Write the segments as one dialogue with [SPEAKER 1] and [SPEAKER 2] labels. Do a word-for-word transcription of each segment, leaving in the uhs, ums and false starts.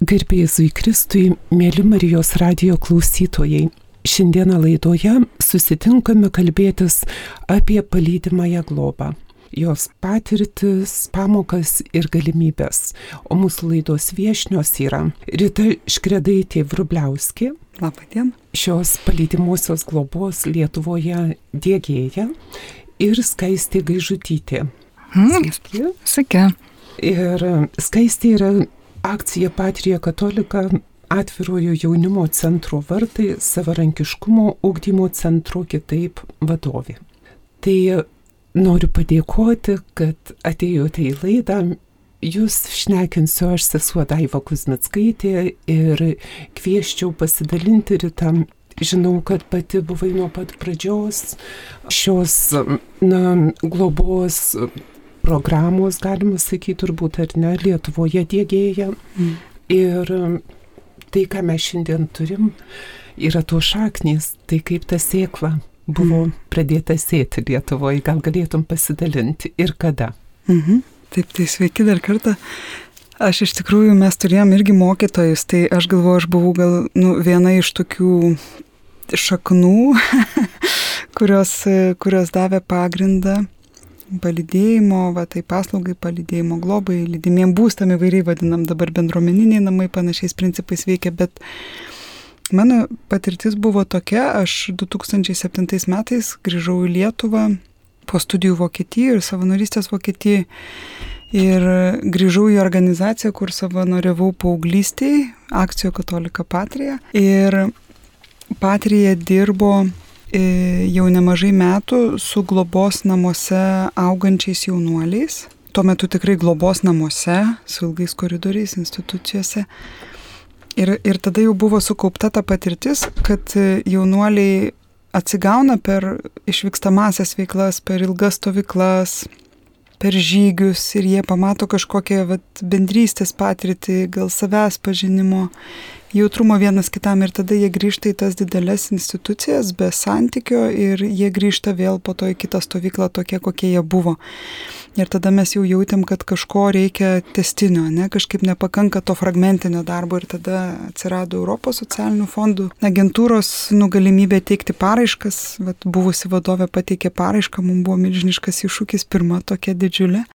[SPEAKER 1] Garbėzui Kristui, mėly Marijos radijo klausytojai. Šiandieną laidoje susitinkame kalbėtis apie palydimąją globą, jos patirtis, pamokas ir galimybės. O mūsų laidos viešnios yra Rita Škredaitė-Vrubliauskė,
[SPEAKER 2] Labadiena,
[SPEAKER 1] šios palydimosios globos Lietuvoje diegėja, ir Skaistė Gaižutytė.
[SPEAKER 2] Hmm, Sveiki. Sveiki.
[SPEAKER 1] Ir Skaistė yra akcija Patrija Katolika atvirojo jaunimo centro vartai savarankiškumo ugdymo centro kitaip vadovė. Tai noriu padėkoti, kad atėjote į laidą. Jūs šnekinsiu aš, sesuo Daiva Kuzmickaitė, ir kvieščiau pasidalinti Ritą. Žinau, kad pati buvai nuo pat pradžios šios na, globos programos, galima sakyti, turbūt ar ne, Lietuvoje diegėja. Mm. Ir tai, ką mes šiandien turim, yra to šaknys, tai kaip ta sėkla buvo mm. pradėta sėti Lietuvoje. Gal galėtum pasidalinti ir kada?
[SPEAKER 2] Mhm. Taip, tai sveiki dar kartą. Aš iš tikrųjų, mes turėjom irgi mokytojus, tai aš galvoju, aš buvau gal nu, viena iš tokių šaknų, kurios, kurios davė pagrindą palydėjimo, va, tai paslaugai, palydėjimo globai, lydimiem būstam įvairiai vadinam, dabar bendruomeniniai namai panašiais principais veikia, bet mano patirtis buvo tokia, aš du tūkstančiai septintais metais grįžau į Lietuvą po studijų Vokietijoje ir savanorystės Vokietijoje ir grįžau į organizaciją, kur savanoriavau paauglystėje, akcijo Katolika Patrija, ir Patrija dirbo jau nemažai metų su globos namuose augančiais jaunuoliais. Tuo metu tikrai globos namuose, su ilgais koridoriais, institucijose. Ir, ir tada jau buvo sukaupta ta patirtis, kad jaunuoliai atsigauna per išvykstamasias veiklas, per ilgas stovyklas, per žygius, ir jie pamato kažkokią vat, bendrystės patirtį, gal savęs pažinimo, jautrumo vienas kitam, ir tada jie grįžta į tas didelės institucijas be santykio ir jie grįžta vėl po to į kitą stovyklą tokie, kokie jie buvo. Ir tada mes jau jautėm, kad kažko reikia testinio, ne? Kažkaip nepakanka to fragmentinio darbo, ir tada atsirado Europos socialinių fondų agentūros nu, galimybė teikti paraiškas. Vat, buvusi vadovė pateikė paraišką, mums buvo milžiniškas iššūkis, pirma tokia didžiulė.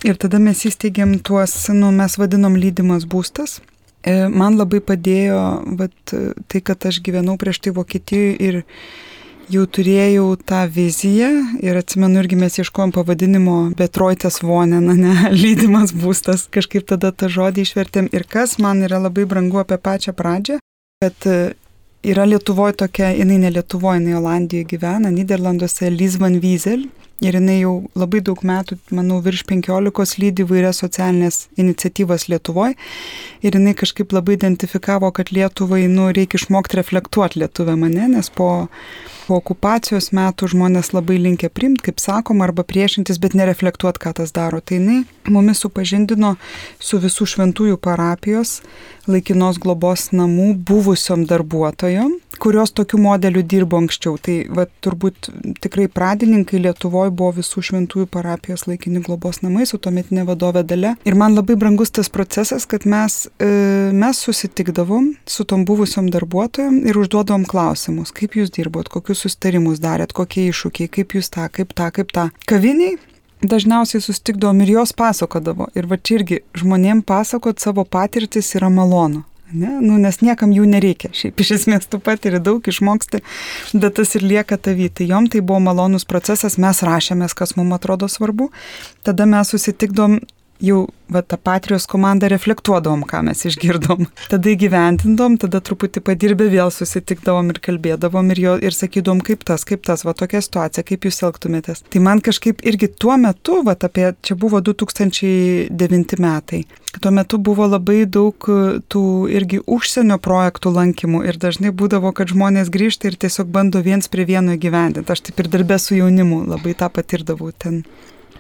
[SPEAKER 2] Ir tada mes įsteigėm tuos, nu, mes vadinom lydimas būstas. Man labai padėjo vat, tai, kad aš gyvenau prieš tai Vokietijoje ir jau turėjau tą viziją, ir atsimenu, irgi mes ieškojom pavadinimo Betroitės Wohnen, ne, lydimas būstas, kažkaip tada tą žodį išvertėm. Ir kas man yra labai brangu apie pačią pradžią, kad yra Lietuvoje tokia, jinai ne Lietuvoje, jinai Olandijoje gyvena, Nyderlanduose, Liz van Wiesel. Ir jinai jau labai daug metų, manau, virš penkiolikos lydi įvairias socialinės iniciatyvas Lietuvoje. Ir jinai kažkaip labai identifikavo, kad Lietuvai, nu, reikia išmokti reflektuoti lietuvę mane, nes po, po okupacijos metų žmonės labai linkę priimti, kaip sakom, arba priešintis, bet nereflektuoti, ką tas daro. Tai jinai mumis supažindino su visų šventųjų parapijos laikinos globos namų buvusiom darbuotojom, kurios tokiu modeliu dirbo anksčiau. Tai va, turbūt tikrai pradininkai Lietuvoje buvo visų šventųjų parapijos laikini globos namai su tuometinė vadovė Dalia. Ir man labai brangus tas procesas, kad mes, e, mes susitikdavom su tom buvusiom darbuotojom ir užduodavom klausimus, kaip jūs dirbot, kokius susitarimus darėt, kokie iššūkiai, kaip jūs tą, kaip tą, kaip tą. Kaviniai dažniausiai susitikdavom ir jos pasakodavo. Ir va čia irgi žmonėm pasakot savo patirtis yra malonu. Ne? Nu, nes niekam jų nereikia. Šiaip iš esmės tu patiri daug, išmoksti, bet tas ir lieka tavy. Tai jom tai buvo malonus procesas, mes rašėmės, kas mums atrodo svarbu. Tada mes susitikdom, jau va, tą Patrijos komandą reflektuodavom, ką mes išgirdom. Tada įgyvendindom, tada truputį padirbę vėl susitikdavom ir kalbėdavom ir, jo, ir sakydom, kaip tas, kaip tas, va tokia situacija, kaip jūs elgtumėtės. Tai man kažkaip irgi tuo metu, va apie, čia buvo du tūkstančiai devinti metai, tuo metu buvo labai daug tų irgi užsienio projektų lankymų ir dažnai būdavo, kad žmonės grįžta ir tiesiog bando viens prie vieno įgyvendinti. Aš taip ir darbę su jaunimu labai tą patirdavau ten.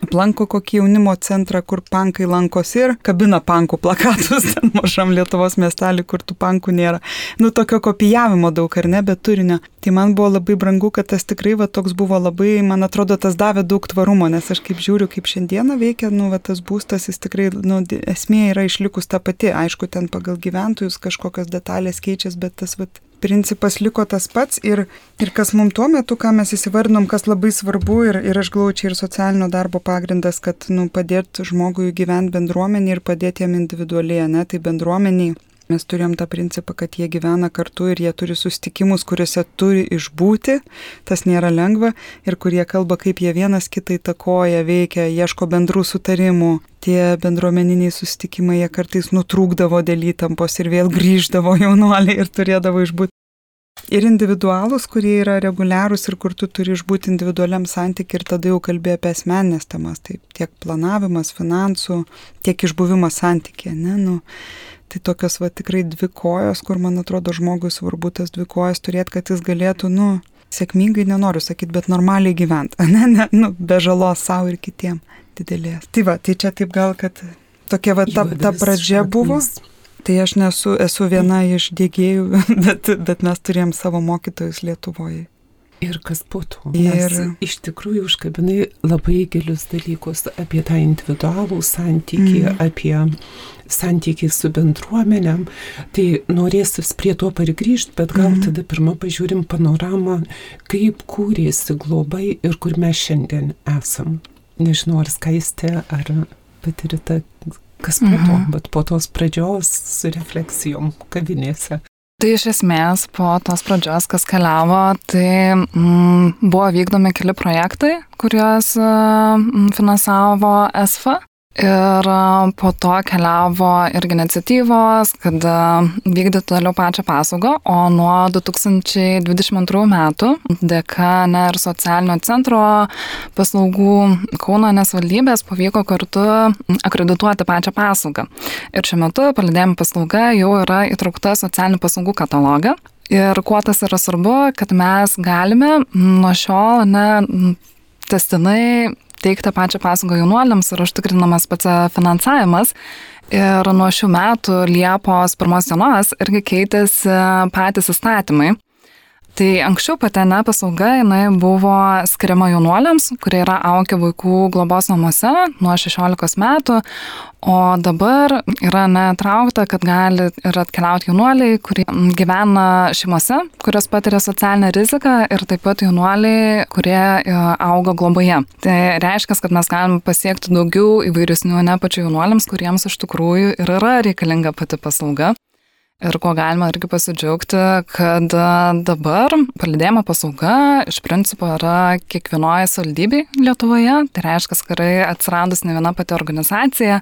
[SPEAKER 2] aplanko kokį jaunimo centrą, kur pankai lankosi ir kabina pankų plakatus ten mažam Lietuvos miestelį, kur tų pankų nėra. Nu, tokio kopijavimo daug, ar ne, bet turinio. Tai man buvo labai brangu, kad tas tikrai va, toks buvo labai, man atrodo, tas davė daug tvarumo, nes aš kaip žiūriu, kaip šiandieną veikia, nu, va, tas būstas, jis tikrai, nu, esmė yra išlikus ta pati. Aišku, ten pagal gyventojus kažkokios detalės keičiasi, bet tas, va, principas liko tas pats ir, ir kas mums tuo metu, ką mes įsivardinom, kas labai svarbu ir, ir aš galvoju, čia ir socialinio darbo pagrindas, kad nu, padėti žmogui gyventi bendruomenį ir padėti jam individualiai, ne, tai bendruomeniai. Mes turėjom tą principą, kad jie gyvena kartu ir jie turi susitikimus, kuriuose turi išbūti, tas nėra lengva, ir kurie kalba, kaip jie vienas kitą įtakoja, veikia, ieško bendrų sutarimų. Tie bendruomeniniai susitikimai, jie kartais nutrūkdavo dėl įtampos ir vėl grįždavo jaunuoliai ir turėdavo išbūti. Ir individualus, kurie yra reguliarūs ir kur tu turi išbūti individualiam santykiui ir tada jau kalbėjo apie asmeninės temas, tai tiek planavimas, finansų, tiek išbuvimas santykiai, ne, nu. Tai tokios va tikrai dvi kojos, kur man atrodo žmogui svarbu tas dvi kojas turėti, kad jis galėtų, nu, sėkmingai nenoriu sakyti, bet normaliai gyventi, ne, ne, nu, be žalos savo ir kitiem didelės. Tai va, tai čia taip gal, kad tokia va ta, ta pradžia buvo. Tai aš nesu, esu viena iš dėgėjų, bet, bet mes turėjom savo mokytojus Lietuvoje.
[SPEAKER 1] Ir kas po to? Ir iš tikrųjų užkabinai labai gilius dalykus apie tą individualų santykį, mm. apie santykį su bendruomenėm. Tai norėsis prie to pargrįžti, bet gal mm. tada pirmą pažiūrim panoramą, kaip kūrėsi globai ir kur mes šiandien esam. Nežinau, ar Skaistė, ar patirita, kas po to, mm-hmm. bet po tos pradžios su refleksijom kavinėse.
[SPEAKER 3] Tai iš esmės po tos pradžios, kas keliavo, tai mm, buvo vykdomi keli projektai, kuriuos mm, finansavo E S F A. Ir po to keliavo irgi iniciatyvos, kad vykdyti toliau pačią paslaugą, o nuo du tūkstančiai dvidešimt antrų metų dėka ne ir socialinio centro paslaugų Kauno savivaldybės pavyko kartu akredituoti pačią paslaugą. Ir šiuo metu palydėjimo paslauga jau yra įtraukta socialinių paslaugų katalogą. Ir kuo tas yra svarbu, kad mes galime nuo šiol ne testinai teikti pačią paslaugą jaunuoliams ir užtikrinamas pats finansavimas. Ir nuo šių metų Liepos pirmos dienos irgi keitėsi patys įstatymai. Tai anksčiau pati ne paslauga jinai buvo skiriama jaunuoliams, kurie yra augę vaikų globos namuose nuo šešiolikos metų, o dabar yra netraukta, kad gali ir atkeliauti jaunuoliai, kurie gyvena šeimose, kurios patiria socialinę riziką, ir taip pat jaunuoliai, kurie auga globoje. Tai reiškia, kad mes galime pasiekti daugiau įvairesnių ne pačių jaunuoliams, kuriems iš tikrųjų ir yra reikalinga pati paslauga. Ir ko galima irgi pasidžiaugti, kad dabar palydėjimo paslauga iš principo yra kiekvienoje savivaldybėje Lietuvoje. Tai reiškia, kad atsiradus ne viena pati organizacija.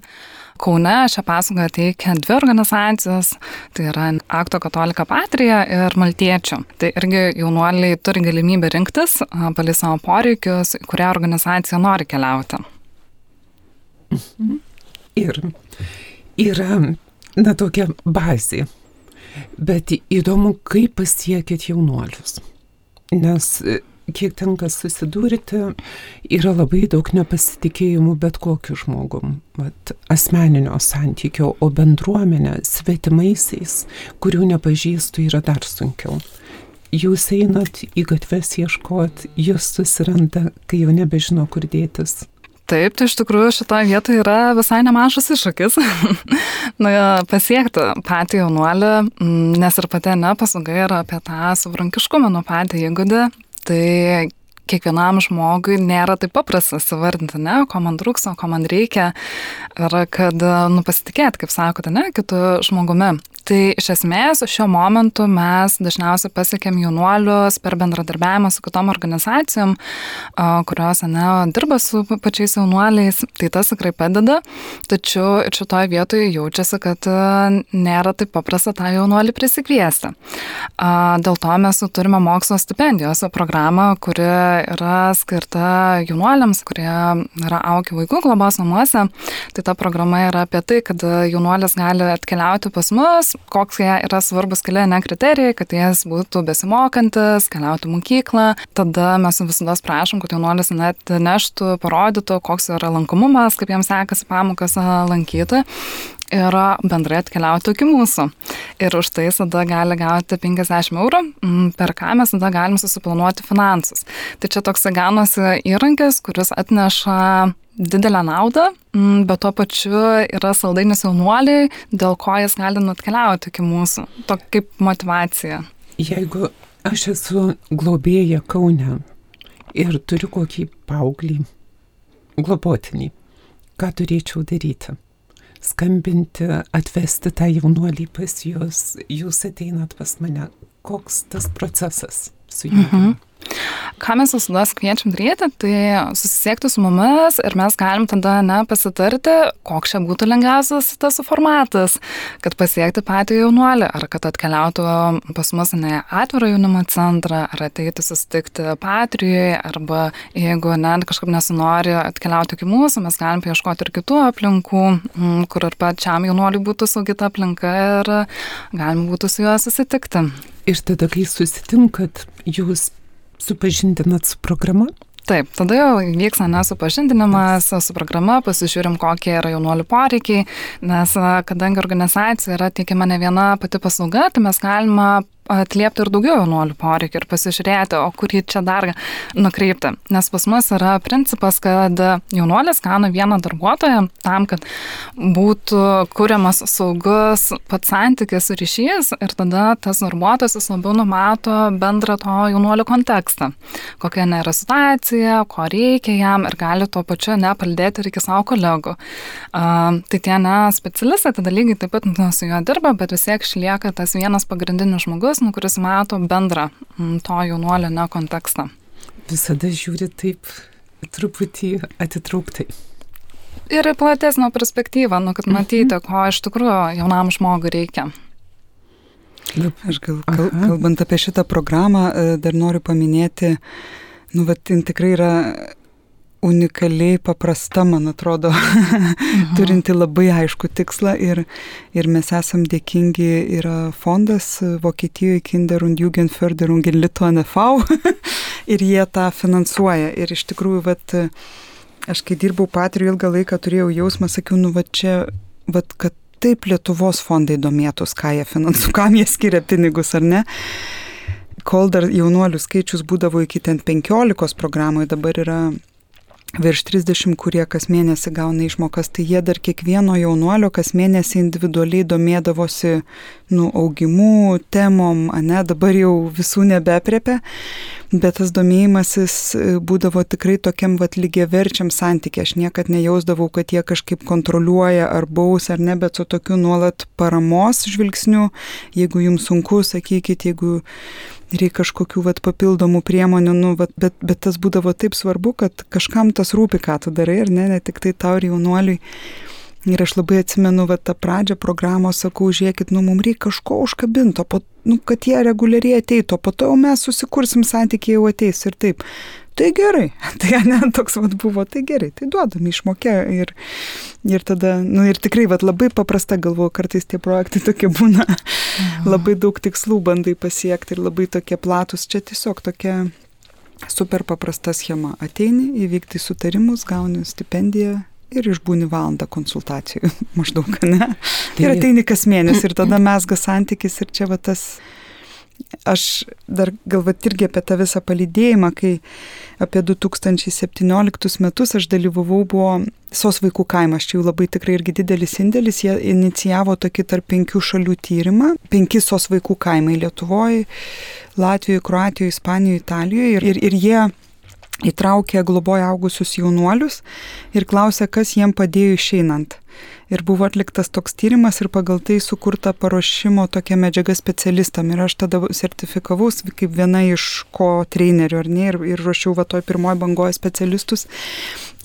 [SPEAKER 3] Kaune šią paslaugą teikia dvi organizacijos, tai yra Akto Katolika Patrija ir Maltiečių. Tai irgi jaunuoliai turi galimybę rinktis pagal savo poreikius, kurią organizaciją nori keliauti.
[SPEAKER 1] Ir yra, na, tokia bazė. Bet įdomu, kaip pasiekėt jaunuolius. Nes kiek tenka susidurti, yra labai daug nepasitikėjimų bet kokiu žmogum. Vat, asmeninio santykio, o bendruomenė svetimaisiais, kurių nepažįstu, yra dar sunkiau. Jūs einat į gatves ieškot, jūs susiranda, kai jau nebežino, kur dėtis.
[SPEAKER 3] Taip, tai iš tikrųjų šitoje vietoje yra visai nemažas iššūkis nu, pasiekti patį jaunuolį, nes ir pati ne paslauga yra apie tą savarankiškumą, nuo patį įgūdį. Tai kiekvienam žmogui nėra taip paprasta įvardinti, ne, ko man trūksta, ko man reikia, ir kad nu, pasitikėti, kaip sakote, ne, kitu žmogumi. Tai iš esmės šiuo momentu mes dažniausiai pasiekėm jaunuolius per bendradarbiavimą su kitom organizacijom, kurios ne, dirba su pačiais jaunuoliais, tai tas tikrai padeda, tačiau ir šitoje vietoje jaučiasi, kad nėra taip paprasta tą jaunuolį prisikviesti. Dėl to mes turime mokslo stipendijos programą, kuri yra skirta jaunuoliams, kurie yra aukę vaikų globos namuose. Tai ta programa yra apie tai, kad jaunuolis gali atkeliauti pas mus, koks jie yra svarbus keli ne kriterijai, kad jis būtų besimokantis, keliauti mokyklą. Tada mes visada prašom, kad jaunuolis net neštų, parodytų, koks yra lankomumas, kaip jiems sekasi pamokas lankyti. Ir bendrai atkeliauti iki mūsų. Ir už tai tada gali gauti penkiasdešimt eurų, per ką mes tada galim susiplanuoti finansus. Tai čia toks ganosi įrankis, kuris atneša didelę naudą, bet tuo pačiu yra saldainis jaunuoliai, dėl ko jis gali atkeliauti iki mūsų. Tokia kaip motyvacija.
[SPEAKER 1] Jeigu aš esu globėja Kaune ir turiu kokį paauglį, globotinį, ką turėčiau daryti? Skambinti, atvesti tą jaunuolį pas jūs, jūs ateinat pas mane. Koks tas procesas su juo? Mhm.
[SPEAKER 3] Ką mes visada kviečiam daryti, tai susisiekti su mumis ir mes galim tada ne pasitarti, koks čia būtų lengviausias tas formatas, kad pasiekti patį jaunuolį, ar kad atkeliautų pas mus ne atvirą jaunimo centrą, ar ateiti susitikti Patrijoje, arba jeigu ne, kažkaip nesinori atkeliauti iki mūsų, mes galim paieškoti ir kitų aplinkų, kur ir pačiam jaunuoliui būtų saugi ta aplinka ir galim būtų su juo susitikti.
[SPEAKER 1] Ir tada, kai susitinkat, jūs supažindinat su programa?
[SPEAKER 3] Taip, tada jau vyks nesupažindinimas su programa, pasižiūrim, kokie yra jaunuolių poreikiai, nes kadangi organizacija yra teikiama ne viena pati paslauga, tai mes galime atliepti ir daugiau jaunuolių poreikių ir pasižiūrėti, o kurį čia dar nukreipti. Nes pas mus yra principas, kad jaunuolis gauna vieną darbuotoją tam, kad būtų kuriamas saugus pats santykis ir ryšys ir tada tas darbuotojas jis labiau numato bendrą to jaunuolio kontekstą. Kokia nėra situacija, ko reikia jam ir gali tuo pačiu nepaldėti ir iki savo kolegų. Uh, tai tie ne specialistai, tada lygiai taip pat su juo dirba, bet vis tiek išlieka tas vienas pagrindinis žmogus, nu, kuris mato bendrą to jaunuolio ne kontekstą.
[SPEAKER 1] Visada žiūri taip truputį atitrauktai.
[SPEAKER 3] Ir platesnio perspektyvą, nu, kad matyti, ko iš tikrųjų jaunam žmogui reikia.
[SPEAKER 2] Aš gal, kal, kalbant apie šitą programą, dar noriu paminėti, nu, vat, tikrai yra unikaliai paprasta, man atrodo, mhm. turinti labai aišku tikslą ir, ir mes esam dėkingi, yra fondas Vokietijoje Kinder- und Jugendförderung in Litauen e V ir jie tą finansuoja. Ir iš tikrųjų, vat, aš kai dirbau Patrijoje ilgą laiką, turėjau jausmą, sakiau, nu, va čia, vat, kad taip Lietuvos fondai domėtus, ką jie finansuoja, kam jie skiria pinigus, ar ne? Kol dar jaunuolių skaičius būdavo iki ten penkiolikos programoje, dabar yra virš trisdešimt, kurie kas mėnesį gauna išmokas, tai jie dar kiekvieno jaunuolio kas mėnesį individualiai domėdavosi, nu, augimų, temom, ane, dabar jau visų nebeprepia, bet tas domėjimasis būdavo tikrai tokiam vat lygiaverčiam santykė. Aš niekad nejausdavau, kad jie kažkaip kontroliuoja ar baus ar ne, bet su tokiu nuolat paramos žvilgsniu, jeigu jums sunku, sakykit, jeigu reikia kažkokių vat papildomų priemonių, nu, vat, bet, bet tas būdavo taip svarbu, kad kažkam tas rūpi, ką tu darai, ar ne, ne tik tai tau ir jaunuoliui. Ir aš labai atsimenu, vat, tą pradžią programos, sakau, žiūrėkit, nu, mums reikia kažko užkabinto, po, nu, kad jie reguliariai ateitų, po to jau mes susikursim santykiai, jau ateis ir taip. Tai gerai, tai ne, toks vat buvo, tai gerai, tai duodam išmokę ir, ir tada, nu ir tikrai vat labai paprasta, galvoju, kartais tie projektai tokie būna, mhm. labai daug tikslų bandai pasiekti ir labai tokie platus, čia tiesiog tokia super paprasta schema, ateini, įvykti sutarimus, gauni stipendiją ir išbūni valandą konsultacijų, maždaug, ne, ir ateini kas mėnesį ir tada mesga santykis ir čia va tas. Aš dar galvat irgi apie tą visą palydėjimą, kai apie du tūkstančiai septynioliktus metus aš dalyvavau, buvo S O S vaikų kaimas, čia jau labai tikrai irgi didelis indėlis, jie inicijavo tokį tarp penkių šalių tyrimą, penki S O S vaikų kaimai Lietuvoje, Latvijoje, Kroatijoje, Ispanijoje, Italijoje ir, ir, ir jie įtraukė globoje augusius jaunuolius ir klausė, kas jiem padėjo išeinant. Ir buvo atliktas toks tyrimas ir pagal tai sukurta paruošimo tokia medžiaga specialistam. Ir aš tada sertifikavaus kaip viena iš ko trenerių, ar ne, ir, ir ruošiau va toj pirmoji bangoje specialistus.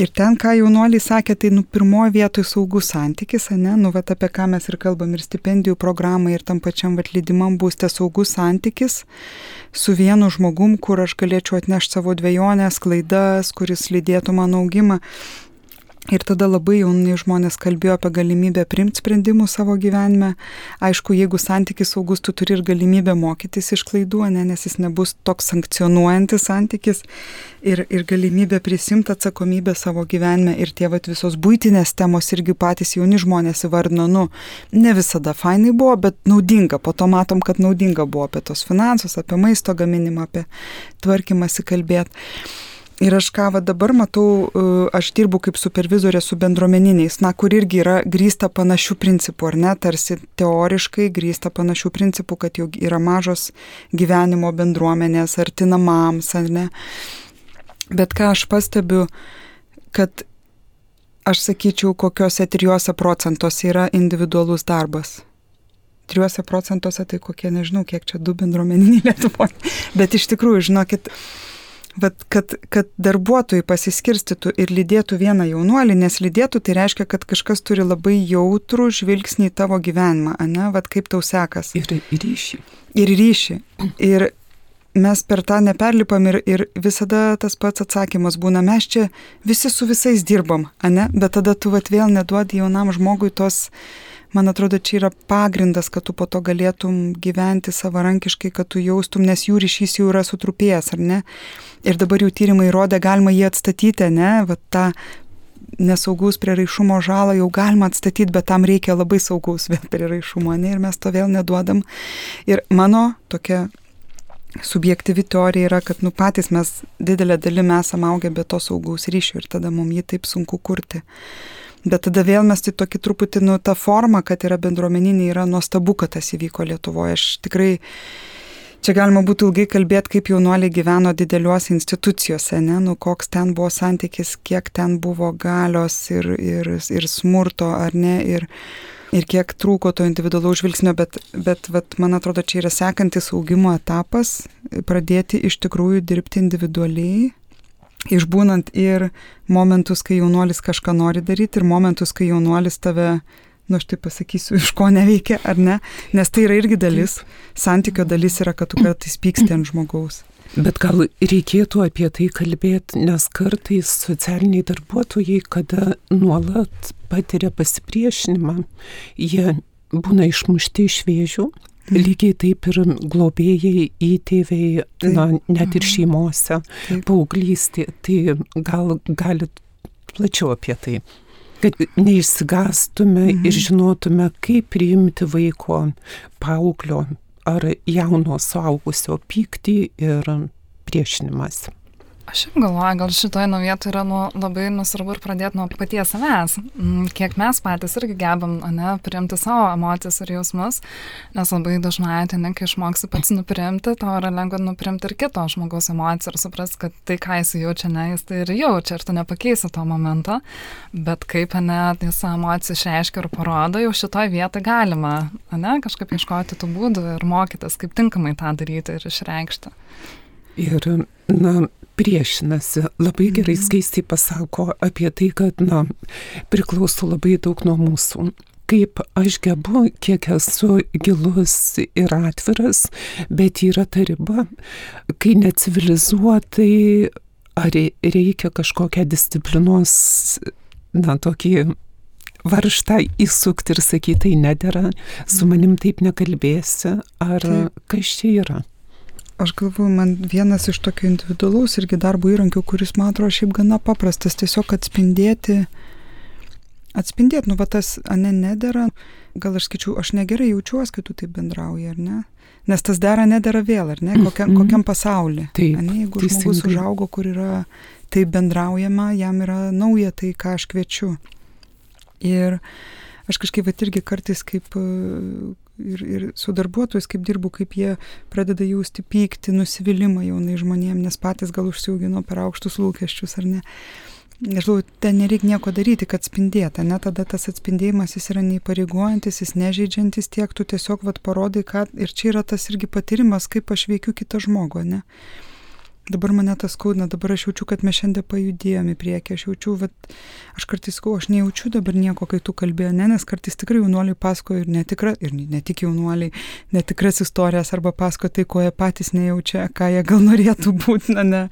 [SPEAKER 2] Ir ten, ką jaunuoliai sakė, tai nu pirmoji vietoj saugus santykis, ne, nu va apie ką mes ir kalbam, ir stipendijų programai, ir tam pačiam va lydimam būste saugus santykis su vienu žmogum, kur aš galėčiau atnešti savo dvejonės, klaidas, kuris lydėtų mano augimą. Ir tada labai jauni žmonės kalbėjo apie galimybę priimti sprendimų savo gyvenime. Aišku, jeigu santykis saugus, tu turi ir galimybę mokytis iš klaidų, ne, nes jis nebus toks sankcionuojantis santykis. Ir, ir galimybę prisimti atsakomybę savo gyvenime. Ir tie vat visos buitinės temos irgi patys jauni žmonės įvardino, nu, ne visada fainai buvo, bet naudinga. Po to matom, kad naudinga buvo apie tos finansus, apie maisto gaminimą, apie tvarkymąsi kalbėti. Ir aš ką va dabar matau, aš dirbu kaip supervizorė su bendruomeniniais, na, kur irgi yra grįsta panašių principų, ar ne, tarsi teoriškai grįsta panašių principų, kad jau yra mažos gyvenimo bendruomenės, arti namams, ar ne. Bet ką aš pastebiu, kad aš sakyčiau, kokiuose trijuose procentuose yra individualus darbas. Trijuose procentuose tai kokie, nežinau, kiek čia du bendruomeniniai Lietuvoje. Bet iš tikrųjų, žinokit, Bet kad, kad darbuotojai pasiskirstytų ir lydėtų vieną jaunuolį, nes lydėtų tai reiškia, kad kažkas turi labai jautrų žvilgsnį į tavo gyvenimą, ane, vat kaip tau sekas.
[SPEAKER 1] Ir ryšį.
[SPEAKER 2] Ir ryšį. Ir mes per tą neperlipam ir, ir visada tas pats atsakymas būna, mes čia visi su visais dirbam, ane, bet tada tu vat vėl neduodi jaunam žmogui tos... Man atrodo, čia yra pagrindas, kad tu po to galėtum gyventi savarankiškai, kad tu jaustum, nes jų ryšys jau yra sutrupėjęs, ar ne? Ir dabar jų tyrimai įrodė, galima jį atstatyti, ne? Vat tą nesaugaus prieraišumo žalą jau galima atstatyti, bet tam reikia labai saugaus prieraišumo, ne? Ir mes to vėl neduodam. Ir mano tokia subjektyvi teorija yra, kad nu patys mes didelę dalį mes augę be to saugaus ryšio ir tada mums jį taip sunku kurti. Bet tada vėl mes tai tokį truputį, nu, tą formą, kad yra bendruomeninė, yra nuostabu, kad tas įvyko Lietuvoje. Aš tikrai, čia galima būtų ilgai kalbėti, kaip jaunuoliai gyveno dideliuose institucijose, ne, nu, koks ten buvo santykis, kiek ten buvo galios ir, ir, ir smurto, ar ne, ir, ir kiek trūko to individualaus žvilgsnio, bet, bet vat, man atrodo, čia yra sekantis augimo etapas, pradėti iš tikrųjų dirbti individualiai, išbūnant ir momentus, kai jaunuolis kažką nori daryti, ir momentus, kai jaunuolis tave, nu aš taip pasakysiu, iš ko neveikia, ar ne, nes tai yra irgi dalis, santykio dalis yra, kad tu kartais pyksti ant žmogaus.
[SPEAKER 1] Bet gal reikėtų apie tai kalbėti, nes kartais socialiniai darbuotojai, kada nuolat patiria pasipriešinimą, jie būna išmušti iš vėžių. Lygiai taip ir globėjai, įtėviai, na, net ir šeimose, paauglystė. Tai gal galit plačiau apie tai, kad neišsigastume mhm. ir žinotume, kaip priimti vaiko, paauglio ar jauno suaugusio pyktį ir priešinimas.
[SPEAKER 3] Aš šiaip galvoju, gal šitoje nuo vietoj yra nu, labai nusvarbu ir pradėti nuo paties savęs. Kiek mes patys irgi gebam, ne, priimti savo emocijas ir jausmus, nes labai dažnai ateini, kai išmoksi pats nuprimti, tau yra lengva nuprimti ir kito žmogaus emociją ir suprasti, kad tai, ką jis jaučia, ne, jis tai ir jaučia ir tu nepakeisi to momento, bet kaip, ne, jis emociją išreiškia ir parodo, jau šitoje vietoje galima, ne, kažkaip ieškoti tų būdų ir mokytis, kaip tinkamai tą daryti ir išreikšti.
[SPEAKER 1] Ir, na, priešinasi, labai gerai skaistiai pasako apie tai, kad, na, priklauso labai daug nuo mūsų. Kaip aš gebu, kiek esu gilus ir atviras, bet yra ta riba, kai necivilizuotai, ar reikia kažkokią disciplinos, na, tokį varžtą įsukti ir sakyti, tai nedera, su manim taip nekalbėsi, ar taip. Kas čia yra?
[SPEAKER 2] Aš galvoju, man vienas iš tokio individualaus irgi darbo įrankių, kuris, man atrodo, šiaip gana paprastas, tiesiog atspindėti, atspindėti, nu, va tas, ane, nedera, gal aš skaičiu, aš negerai jaučiuosi, kai tu taip bendrauji, ar ne? Nes tas dera, nedera vėl, ar ne? Kokiam, kokiam pasaulyje.
[SPEAKER 1] Taip,
[SPEAKER 2] ane, jeigu žmogus užaugo, kur yra taip bendraujama, jam yra nauja tai, ką aš kviečiu. Ir aš kažkaip vat irgi kartais kaip ir, ir su darbuotojais, kaip dirbu, kaip jie pradeda jausti pyktį, nusivylimą jaunai žmonėm, nes patys gal užsiaugino per aukštus lūkesčius, ar ne. aš žinau, ten nereikia nieko daryti, kad spindėta, ne, tada tas atspindėjimas jis yra neįpareigojantis, jis nežeidžiantis tiek, tu tiesiog vat parodai, ką, ir čia yra tas irgi patyrimas, kaip aš veikiu kitą žmogų, ne. Dabar mane tas skaudina, dabar aš jaučiu, kad mes šiandien pajudėjom į priekį, aš jaučiu, vat, aš kartais sakau, aš nejaučiu dabar nieko, kai tu kalbėjai, ne, nes kartais tikrai jaunuoliai pasakoja ir netikra, ir ne tik jaunuoliai, netikras istorijas arba pasakoja tai, ko jie patys nejaučia, ką jie gal norėtų būti, na, ne,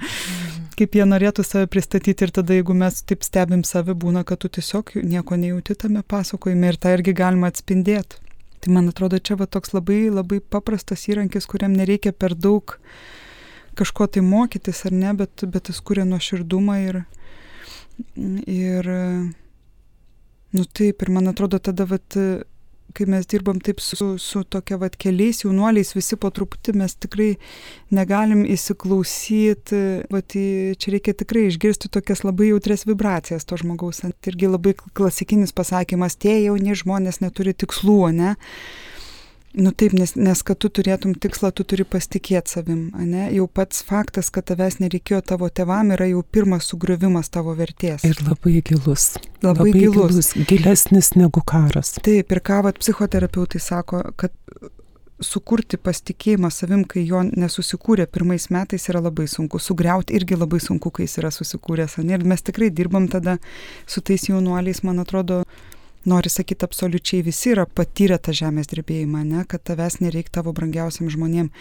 [SPEAKER 2] kaip jie norėtų save pristatyti ir tada, jeigu mes taip stebim save, būna, kad tu tiesiog nieko nejauti tame pasakojime ir tą irgi galima atspindėti. Tai man atrodo, čia va toks labai, labai paprastas įrankis, kuriam nereikia per daug kažko tai mokytis ar ne, bet, bet jis kuria nuoširdumą ir, ir, nu taip, ir man atrodo tada, vat, kai mes dirbam taip su, su tokia vat keliais jaunuoliais, visi po truputį mes tikrai negalim įsiklausyti, vat, čia reikia tikrai išgirsti tokias labai jautrias vibracijas to žmogaus. Irgi labai klasikinis pasakymas, tie jauni žmonės neturi tikslų, ne? Nu taip, nes, nes kad tu turėtum tikslą, tu turi pasitikėti savim, ne? Jau pats faktas, kad tavęs nereikėjo tavo tėvam, yra jau pirmas sugriovimas tavo vertės.
[SPEAKER 1] Ir labai gilus.
[SPEAKER 2] Labai, labai gilus.
[SPEAKER 1] gilus. Gilesnis negu karas.
[SPEAKER 2] Taip, ir ką vat psichoterapeutai sako, kad sukurti pasitikėjimą savim, kai jo nesusikūrė pirmais metais, yra labai sunku. Sugriauti irgi labai sunku, kai jis yra susikūręs. Ne? Ir mes tikrai dirbam tada su tais jaunuoliais, man atrodo, nori sakyti, absoliučiai visi yra patyrę tą žemės drebėjimą, ne? Kad tavęs nereikia tavo brangiausiam žmonėm.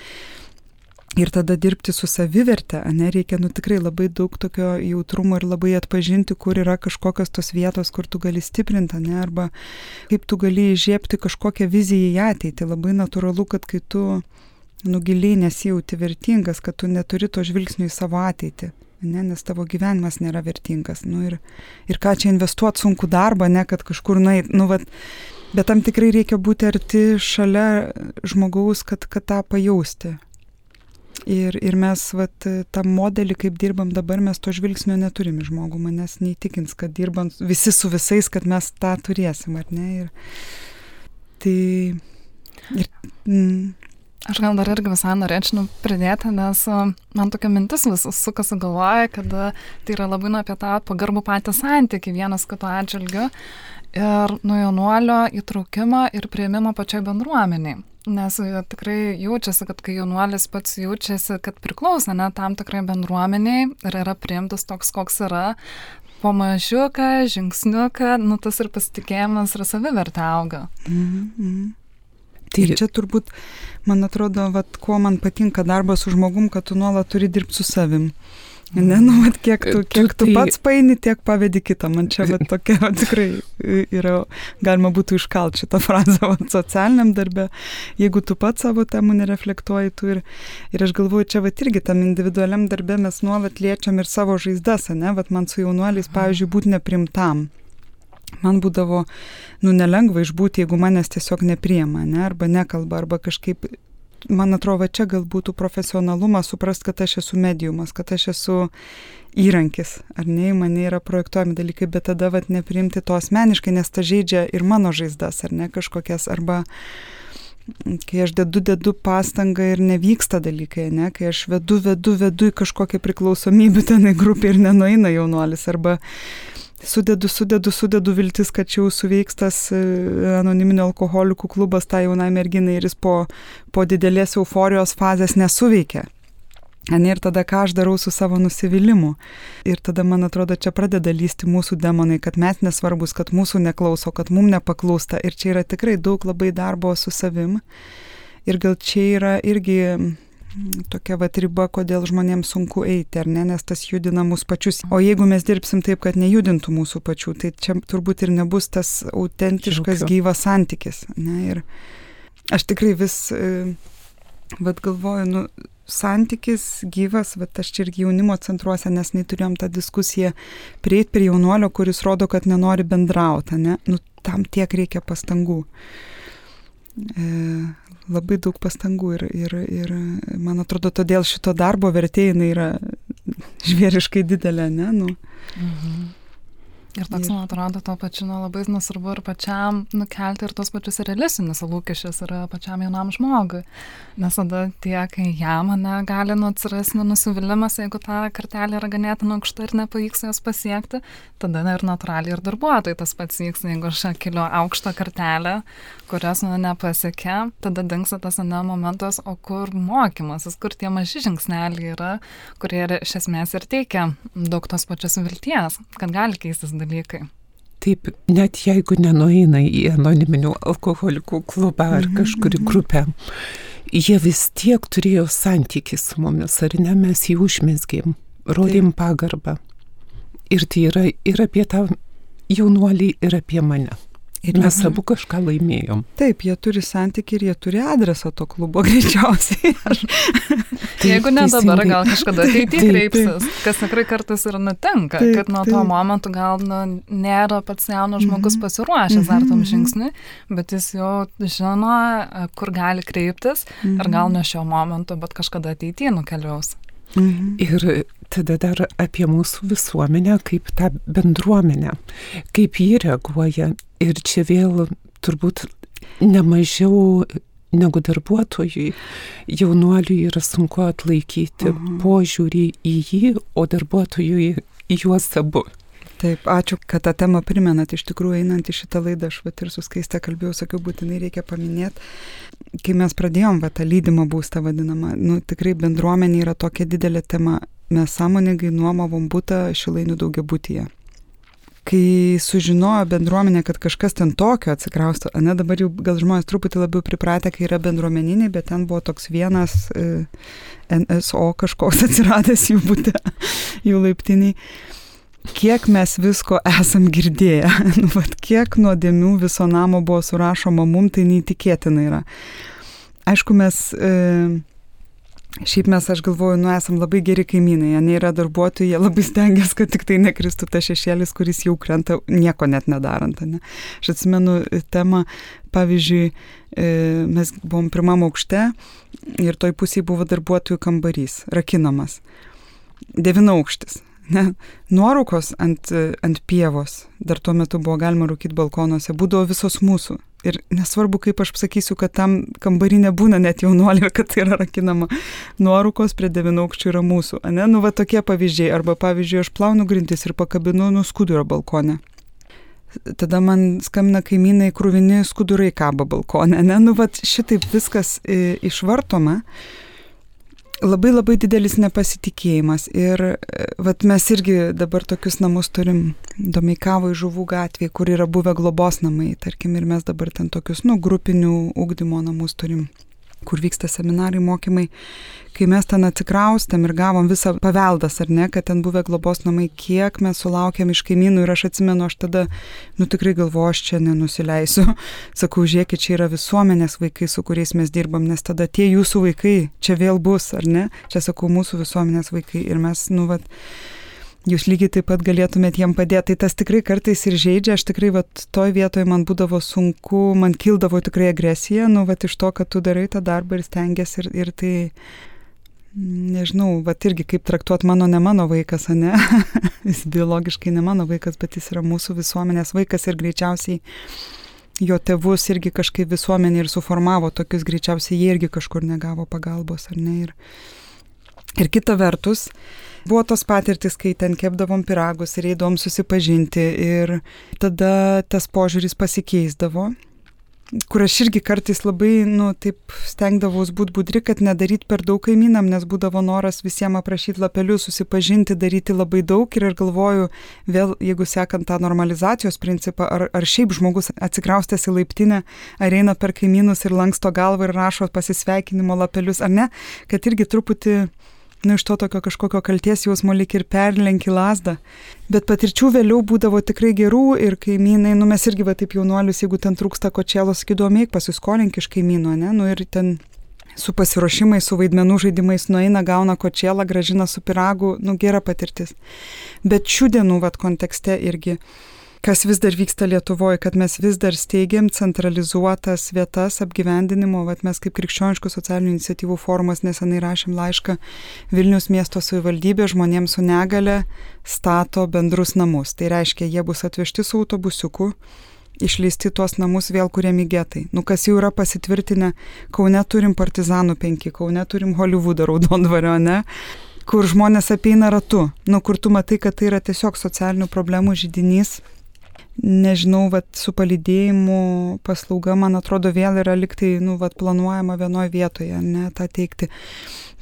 [SPEAKER 2] Ir tada dirbti su saviverte, ne, reikia nu tikrai labai daug tokio jautrumo ir labai atpažinti, kur yra kažkokios tos vietos, kur tu gali stiprinti, ne, arba kaip tu gali įžiebti kažkokią viziją į ateitį. Labai natūralu, kad kai tu nu giliai nesijauti vertingas, kad tu neturi to žvilgsnio į savo ateitį. Ne, nes tavo gyvenimas nėra vertingas. Nu, ir, ir ką čia investuoti sunku darbą, ne, kad kažkur nueit. Nu, vat, bet tam tikrai reikia būti arti šalia žmogaus, kad, kad tą pajausti. Ir, ir mes vat, tą modelį, kaip dirbam dabar, mes to žvilgsnio neturim į žmogų. Manęs neįtikins, kad dirbam visi su visais, kad mes tą turėsim, ar ne? Ir, tai... Ir, mm,
[SPEAKER 3] Aš gal dar irgi visai norėčiau pridėti, nes man tokia mintis vis sukasi galvoja, kad tai yra labai nu apie tą pagarbų patį santykį vienas kito atžvilgiu ir nuo jaunuolio įtraukimą ir priėmimą pačiai bendruomeniai. Nes tikrai jaučiasi, kad kai jaunuolis pats jaučiasi, kad priklauso ne tam tikrai bendruomeniai ir yra priimtas toks, koks yra, po mažiuką, žingsniuką, nu tas ir pasitikėjimas ir savivertė auga.
[SPEAKER 2] Mm-hmm. Tai čia turbūt, man atrodo, vat, ko man patinka darbas su žmogum, kad tu nuolat turi dirbti su savim. Ne, nu, vat, kiek tu, kiek tu pats paini, tiek pavedi kitą. Man čia vat, tokia vat, tikrai yra, galima būtų iškalti šitą frazę vat, socialiniam darbe. Jeigu tu pats savo temų nereflektuoji, tu ir, ir aš galvoju, čia vat, irgi tam individualiam darbe mes nuolat liečiam ir savo žaizdas, ne? Vat, man su jaunuoliais, pavyzdžiui, būti neprimtam. Man būdavo, nu, nelengva išbūti, jeigu manęs tiesiog nepriima, ne, arba nekalba, arba kažkaip, man atrodo, čia gal būtų profesionalumas, suprast, kad aš esu mediumas, kad aš esu įrankis, ar ne, mane yra projektuojami dalykai, bet tada, vat, nepriimti to asmeniškai, nes ta žaidžia ir mano žaizdas, ar ne, kažkokias, arba kai aš dedu, dedu pastangą ir nevyksta dalykai, ne, kai aš vedu, vedu, vedu į kažkokią priklausomybę tenai grupį ir nenueina jaunuolis, arba Sudedu, sudedu, sudedu viltis, kad čia jau suveiks tas anoniminio alkoholikų klubas tai jaunai merginai ir jis po, po didelės euforijos fazės nesuveikia. Ir tada ką aš darau su savo nusivylimu. Ir tada, man atrodo, čia pradeda lysti mūsų demonai, kad mes nesvarbus, kad mūsų neklauso, kad mum nepaklausta. Ir čia yra tikrai daug labai darbo su savim. Ir gal čia yra irgi tokia vat riba, kodėl žmonėms sunku eiti, ar ne, nes tas judina mus pačius. O jeigu mes dirbsim taip, kad nejudintų mūsų pačių, tai čia turbūt ir nebus tas autentiškas Žiūkiu. gyvas santykis. Ne? Ir aš tikrai vis, vat galvoju, nu, santykis gyvas, vat aš čia irgi jaunimo centruose, nes neturėjom tą diskusiją, prieit prie jaunuolio, kuris rodo, kad nenori bendrauti, ne? Nu, tam tiek reikia pastangų. E, labai daug pastangų ir, ir, ir man atrodo, todėl šito darbo vertė jinai yra žvėriškai didelė, ne? Nu.
[SPEAKER 3] Mhm. Ir toks, man atrodo, to pačiu nu, labai nesvarbu ir pačiam nukelti ir tos pačius realistinius lūkesčius ir pačiam jaunam žmogui. Nes tada tiek jam ne, gali nu, atsirasti nusivylimas, jeigu ta kartelė yra ganėtinai aukšta ir nepavyks jos pasiekti, tada ne, ir natūraliai ir darbuotojai tas pats vyks, jeigu aš keliu aukštą kartelę, kurios nu, nepasiekia, tada dingsta tas ne momentas, o kur mokymasis, kur tie maži žingsneliai yra, kurie iš esmės ir teikia daug tos pačios vilties, kad gali keistis dalykai.
[SPEAKER 1] Taip, net jeigu nenueina į anoniminių alkoholikų klubą ar kažkurį grupę, jie vis tiek turėjo santykį su mumis, ar ne, mes jį užmesgėm, rodėm pagarbą. Ir tai yra ir apie tą jaunuolį, ir apie mane. Ir mes mhm. abu kažką laimėjom.
[SPEAKER 2] Taip, jie turi santykį ir jie turi adresą to klubo greičiausiai.
[SPEAKER 3] Taip, jeigu ne dabar, gal kažkada ateityje kreipsis, kas tikrai kartais ir nutinka, taip, kad nuo to momentu gal nu, nėra pats jaunas žmogus mm-hmm. pasiruošęs mm-hmm. ar tam žingsniui, bet jis jau žino, kur gali kreiptis mm-hmm. ir gal nuo šio momento, bet kažkada ateityje nukeliaus.
[SPEAKER 1] Mhm. Ir tada dar apie mūsų visuomenę, kaip tą bendruomenę, kaip jį reaguoja. Ir čia vėl turbūt nemažiau negu darbuotojui, jaunuoliui yra sunku atlaikyti mhm. požiūrį į jį, o darbuotojui į juos abu.
[SPEAKER 2] Taip, ačiū, kad tą temą primenat. Iš tikrųjų, einant į šitą laidą, aš vat ir su Skaiste kalbėjau, sakiau, būtinai reikia paminėti. Kai mes pradėjom va, tą lydimą būstą vadinamą, nu, tikrai bendruomenė yra tokia didelė tema. Mes sąmoningai nuomavom butą Šilainių daugiabutyje. Kai sužinojo bendruomenė, kad kažkas ten tokio atsikrausto, ne, dabar jau gal žmonės truputį labiau pripratę, kai yra bendruomeniniai, bet ten buvo toks vienas e, N S O kažkoks atsiradęs jų bute, jų laiptiniai. Kiek mes visko esam girdėję, nu, vat, kiek nuodėmių viso namo buvo surašoma mum, tai neįtikėtina yra. Aišku, mes, e, šiaip mes, aš galvoju, nu, esam labai geri kaimynai, jie nėra darbuotojai, jie labai stengiasi, kad tik tai nekristų ta šešėlis, kuris jau krenta, nieko net nedarant. Ne? Aš atsimenu temą, pavyzdžiui, e, mes buvom pirmam aukšte ir toj pusėje buvo darbuotojų kambarys, rakinamas, devynaukštis. Ne, nuorūkos ant, ant pievos, dar tuo metu buvo galima rūkyti balkonuose, būdavo visos mūsų. Ir nesvarbu, kaip aš sakysiu, kad tam kambarį nebūna net jaunuolį, kad tai yra rakinama. Nuorūkos prie devynaukščių yra mūsų. Ne? Nu, va tokie pavyzdžiai. Arba pavyzdžiui, aš plaunu grindis ir pakabinu nu skudurą balkone. Tada man skambina kaimynai, krūvini skudurai kaba balkone. Ne? Nu, va šitaip viskas e, išvartoma. Labai labai didelis nepasitikėjimas ir vat, mes irgi dabar tokius namus turim Domeikavoj Žuvų gatvėje, kur yra buvę globos namai, tarkim, ir mes dabar ten tokius, nu, grupinių ugdymo namus turim, kur vyksta seminarai, mokymai. Kai mes ten atsikraustėm ir gavom visą paveldas, ar ne, kad ten buvę globos namai, kiek mes sulaukėm iš kaimynų ir aš atsimenu, aš tada, nu tikrai galvoju, aš čia nenusileisiu. Sakau, žiūrėkit, čia yra visuomenės vaikai, su kuriais mes dirbam, nes tada tie jūsų vaikai čia vėl bus, ar ne? Čia sakau, mūsų visuomenės vaikai ir mes, nu, vat, jūs lygiai taip pat galėtumėt jiem padėti. Tai tas tikrai kartais ir žaidžia, aš tikrai, vat, toj vietoje man būdavo sunku, man kildavo tikrai agresija, nu, vat, iš to, kad tu darai tą darbą ir stengiasi ir, ir tai... Nežinau, vat irgi kaip traktuot mano, ne mano vaikas, ne? Jis biologiškai ne mano vaikas, bet jis yra mūsų visuomenės vaikas ir greičiausiai jo tėvus irgi kažkaip visuomenė ir suformavo tokius, greičiausiai jie irgi kažkur negavo pagalbos, ar ne? Ir, ir kita vertus, buvo tos patirtis, kai ten kepdavom pyragus ir eidavom susipažinti ir tada tas požiūris pasikeisdavo. Kur aš irgi kartais labai, nu, taip stengdavaus būt budri, kad nedaryt per daug kaimynam, nes būdavo noras visiems aprašyti lapelius, susipažinti, daryti labai daug ir aš galvoju, vėl, jeigu sekant tą normalizacijos principą, ar, ar šiaip žmogus atsikraustęs į laiptinę, ar eina per kaimynus ir lanksto galvą ir rašo pasisveikinimo lapelius, ar ne, kad irgi truputį, nu, iš to tokio kažkokio kalties jausmo lyg ir perlenki lazdą. Bet patirčių vėliau būdavo tikrai gerų ir kaimynai, nu, mes irgi va taip jaunuolius, jeigu ten trūksta kočėlos, sakydavome, eik pasiskolink iš kaimyno, ne, nu, ir ten su pasiruošimais, su vaidmenų žaidimais nueina, gauna kočėlą, grąžina su pyragu, nu, gera patirtis. Bet šių dienų, va, kontekste irgi kas vis dar vyksta Lietuvoje, kad mes vis dar steigiam centralizuotas vietas apgyvendinimo. Vat mes kaip Krikščioniškų socialinių iniciatyvų forumas nesenai rašėm laišką Vilniaus miesto savivaldybė žmonėms su negale stato bendrus namus. Tai reiškia, jie bus atvežti su autobusiuku, išleisti tuos namus vėl kuriami getai. Nu, kas jau yra pasitvirtinę, Kaune turim Partizanų penki, Kaune turim Hollywoodą Raudondvario, ne? Kur žmonės apeina ratu, nu, kur tu matai, kad tai yra tiesiog socialinių problemų židinys. Nežinau, vat, su palydėjimu paslauga, man atrodo, vėl yra liktai, nu, vat, planuojama vienoje vietoje, ne, tą teikti.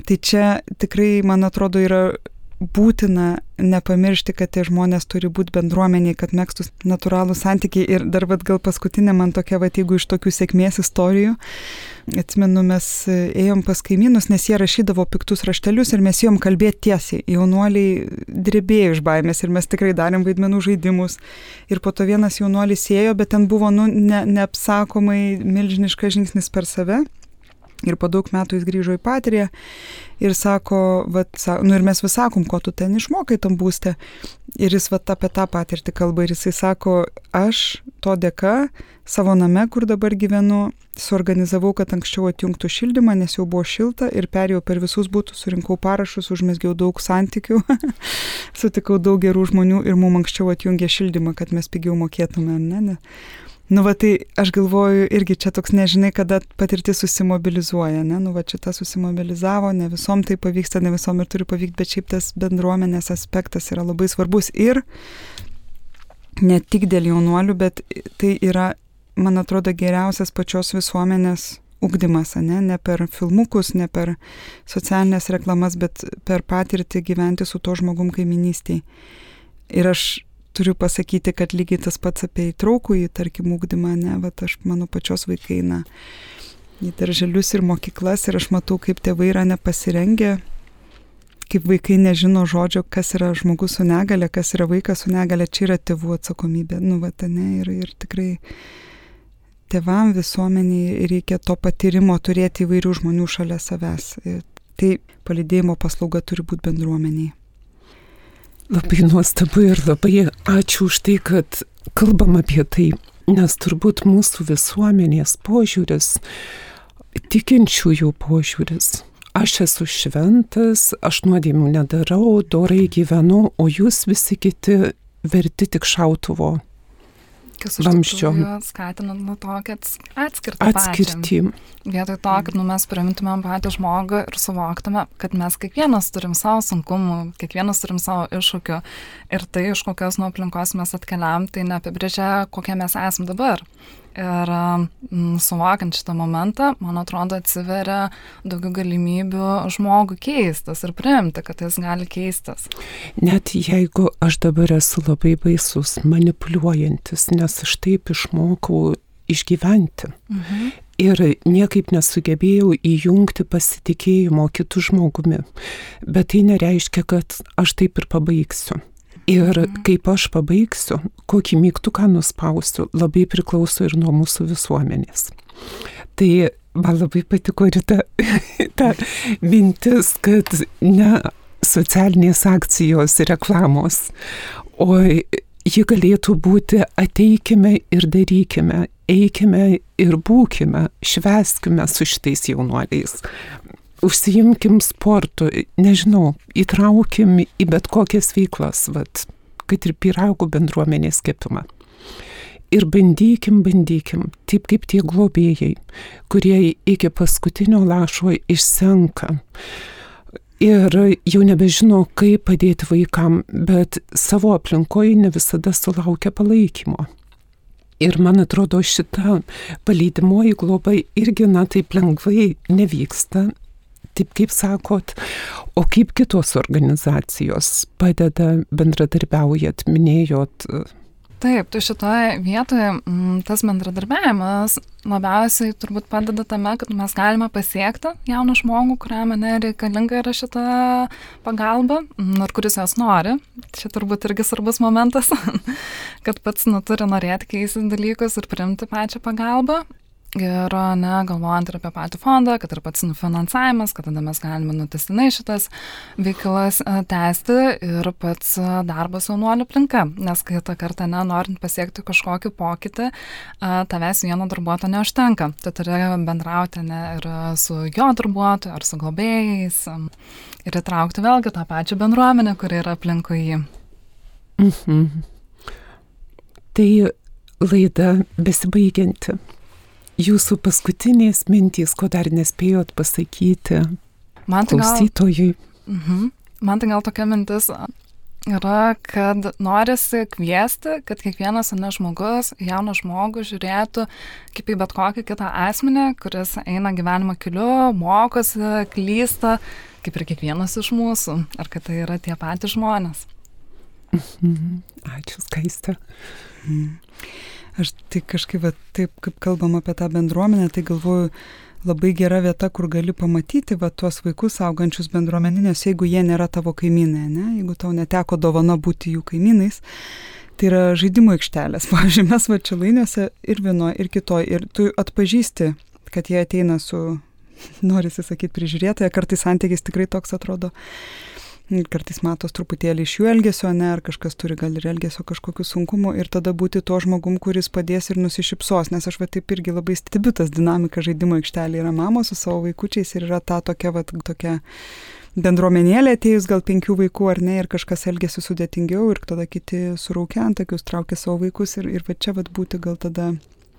[SPEAKER 2] Tai čia tikrai, man atrodo, yra būtina nepamiršti, kad tie žmonės turi būti bendruomeniai, kad megztus natūralų santykiai. Ir dar vat, gal paskutinė man tokia, vat, jeigu iš tokių sėkmės istorijų, atsimenu, mes ėjom pas kaimynus, nes jie rašydavo piktus raštelius ir mes ėjom kalbėti tiesiai. Jaunuoliai drebėjo iš baimės ir mes tikrai darėm vaidmenų žaidimus. Ir po to vienas jaunuolis ėjo, bet ten buvo, nu, ne, neapsakomai milžiniškas žingsnis per save. Ir po daug metų jis grįžo į Patriją ir sako, vat, nu ir mes vis sakom, ko tu ten išmokai tam būste. Ir jis vat apie tą patirtį kalba ir jisai sako, aš to dėka savo name, kur dabar gyvenu, suorganizavau, kad anksčiau atjungtų šildymą, nes jau buvo šilta ir perėjau per visus būtus, surinkau parašus, užmesgiau daug santykių, sutikau daug gerų žmonių ir mums anksčiau atjungė šildymą, kad mes pigiau mokėtume, ne, ne. Nu, va, tai aš galvoju, irgi čia toks nežinai, kada patirtis susimobilizuoja, ne, nu, va, šita susimobilizavo, ne visom tai pavyksta, ne visom ir turi pavykti, bet šiaip tas bendruomenės aspektas yra labai svarbus ir ne tik dėl jaunuolių, bet tai yra, man atrodo, geriausias pačios visuomenės ugdymas, ne, ne per filmukus, ne per socialinės reklamas, bet per patirtį gyventi su to žmogum kaiminystėj. Ir aš turiu pasakyti, kad lygiai tas pats apie įtraukų į, tarkim, ugdymą, ne, vat aš, mano pačios vaikai, na, į darželius ir mokyklas ir aš matau, kaip tėvai yra nepasirengę, kaip vaikai nežino žodžio, kas yra žmogus su negale, kas yra vaikas su negale, čia yra tėvų atsakomybė, nu, vat, ne, ir, ir tikrai tėvam visuomeniai reikia to patyrimo turėti įvairių žmonių šalia savęs. Tai palydėjimo paslauga turi būti bendruomeniai.
[SPEAKER 1] Labai nuostabu ir labai ačiū už tai, kad kalbam apie tai, nes turbūt mūsų visuomenės požiūris, tikinčiųjų požiūris. Aš esu šventas, aš nuodėmių nedarau, dorai gyvenu, o jūs visi kiti verti tik šautuvo.
[SPEAKER 3] Kas iš tikrųjų skatina nuo to, kad atskirti
[SPEAKER 1] atskirti.
[SPEAKER 3] Vietoj to, kad nu, mes priimtumėm patį žmogų ir suvoktume, kad mes kiekvienas turim savo sunkumų, kiekvienas turim savo iššūkių ir tai, iš kokios nuo aplinkos mes atkeliam, tai neapibrėžia, kokie mes esam dabar. Ir mm, suvokiant šitą momentą, man atrodo, atsiveria daugiau galimybių žmogų keistis ir priimti, kad jis gali keistis.
[SPEAKER 1] Net jeigu aš dabar esu labai baisus, manipuliuojantis, nes aš taip išmokau išgyventi. Mhm. Ir niekaip nesugebėjau įjungti pasitikėjimo kitų žmogumi. Bet tai nereiškia, kad aš taip ir pabaigsiu. Ir kaip aš pabaigsiu, kokį mygtuką nuspausiu, labai priklauso ir nuo mūsų visuomenės. Tai man labai patiko ir ta, ta mintis, kad ne socialinės akcijos reklamos, o ji galėtų būti ateikime ir darykime, eikime ir būkime, švęskime su šitais jaunuoliais. Užsiimkim sportu, nežinau, įtraukim į bet kokias veiklas, vat, kad ir pyragų bendruomenės kepimą. Ir bandykim, bandykim, taip kaip tie globėjai, kurie iki paskutinio lašo išsenka. Ir jau nebežino, kaip padėti vaikam, bet savo aplinkoje ne visada sulaukia palaikymo. Ir man atrodo, šita palydimoji globa irgi, na, taip lengvai nevyksta. Taip kaip sakot, o kaip kitos organizacijos padeda, bendradarbiaujat, minėjot?
[SPEAKER 3] Taip, tai šitoje vietoje m, tas bendradarbiavimas labiausiai turbūt padeda tame, kad mes galime pasiekti jauną žmogų, kuriam ne reikalinga yra šita pagalba, ir kuris jos nori. Čia turbūt irgi svarbus momentas, kad pats nu, turi norėti keisti dalykus ir priimti pačią pagalbą. ir ne, galvojant ir apie patį fondą, kad ir pats finansavimas, kad tada mes galime nutestinai šitas veiklas tęsti ir pats darbas jaunuolių aplinka, nes kitą kartą, ne, norint pasiekti kažkokį pokytį, tavęs vieno darbuotojo neužtenka. Tu turi bendrauti, ne, ir su jo darbuotoju, ar su globėjais, ir įtraukti vėlgi tą pačią bendruomenę, kuri yra aplinkui jį.
[SPEAKER 1] Mhm. Tai laida besibaigianti. Jūsų paskutinės mintys, ko dar nespėjot pasakyti
[SPEAKER 3] Man tai gal,
[SPEAKER 1] klausytojui.
[SPEAKER 3] mhm. Man tai gal tokia mintis yra, kad norisi kviesti, kad kiekvienas ne žmogus, jaunas žmogus žiūrėtų kaip į bet kokį kitą asmenį, kuris eina gyvenimo keliu, mokosi, klysta, kaip ir kiekvienas iš mūsų, ar kad tai yra tie patys žmonės.
[SPEAKER 1] Mhm. Ačiū, Skaiste.
[SPEAKER 2] Mhm. Aš tai kažkaip, va, taip kaip kalbam apie tą bendruomenę, tai galvoju, labai gera vieta, kur gali pamatyti va, tuos vaikus augančius bendruomeninės, jeigu jie nėra tavo kaimynai, ne? Jeigu tau neteko dovana būti jų kaimynais, tai yra žaidimų aikštelės. Pavyzdžiui, mes va Čilainiuose ir vienoje, ir kitoje, ir tu atpažįsti, kad jie ateina su, norisi sakyti, prižiūrėtoja, kartais santykis tikrai toks atrodo. Kartais matos truputėlį iš jų elgesio, ne, ar kažkas turi gal ir elgesio kažkokių sunkumų ir tada būti to žmogum, kuris padės ir nusišypsos, nes aš va taip irgi labai stebiu tas dinamika žaidimo aikštelė. Yra mamos su savo vaikučiais ir yra ta tokia, va, tokia bendruomenėlė atėjus gal penkių vaikų ar ne ir kažkas elgesi sudėtingiau ir tada kiti suraukia antakius, traukia savo vaikus ir, ir va čia va būti gal tada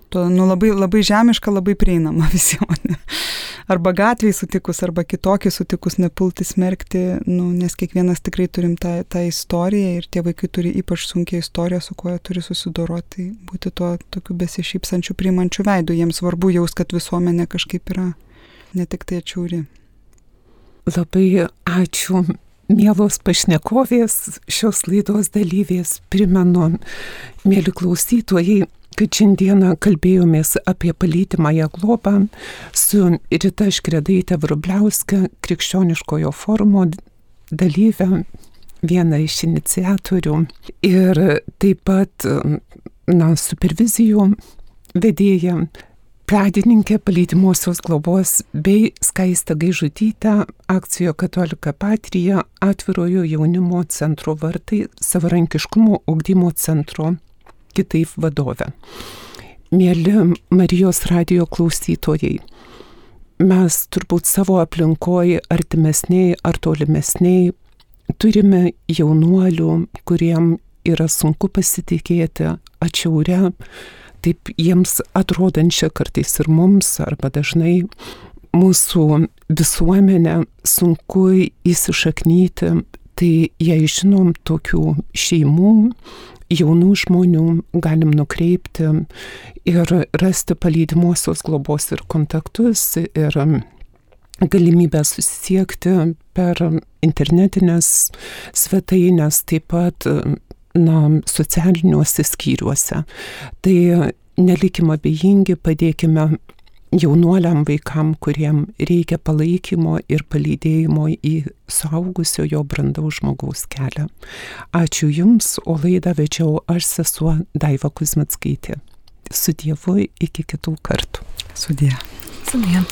[SPEAKER 2] to, nu, labai, labai žemiška, labai prieinama visiems. Arba gatvėje sutikus, arba kitokį sutikus nepulti smerkti, nu, nes kiekvienas tikrai turim tą, tą istoriją ir tie vaikai turi ypač sunkią istoriją, su kuo jie turi susidoroti, būti tuo tokiu besišypsančiu priimančiu veidu. Jiems svarbu jaus, kad visuomenė kažkaip yra ne tik tai atšiauri.
[SPEAKER 1] Labai ačiū, mielos pašnekovės, šios laidos dalyvės. Primenu, mėly klausytojai, kad šiandieną kalbėjomės apie palydimąją globą su Rita Škredaite Vrubliauske, krikščioniškojo forumo dalyvę, viena iš iniciatorių ir taip pat na, supervizijų vedėja, pradininkė palydimosios globos bei Skaiste Gaižutytė, akcijo Katolika Patrija, atvirojo jaunimo centro vartai, savarankiškumo ugdymo centro kitaip vadovė. Mėly Marijos radijo klausytojai, mes turbūt savo aplinkoje artimesniai ar tolimesniai turime jaunuolių, kuriem yra sunku pasitikėti atšiaurę, taip jiems atrodančią kartais ir mums, arba dažnai mūsų visuomenę sunku įsišaknyti, tai jei žinom tokių šeimų, jaunų žmonių, galim nukreipti ir rasti palydimosios globos ir kontaktus ir galimybę susisiekti per internetinės svetainės, taip pat na, socialiniuose skyriuose. Tai nelikim abejingi, padėkime jaunuoliam vaikam, kuriem reikia palaikymo ir palydėjimo į suaugusiojo brandaus žmogaus kelią. Ačiū Jums, o laidą vedžiau aš, sesuo Daiva Kuzmickaitė. Su Dievu iki kitų kartų.
[SPEAKER 2] Sudie.
[SPEAKER 3] Sudie.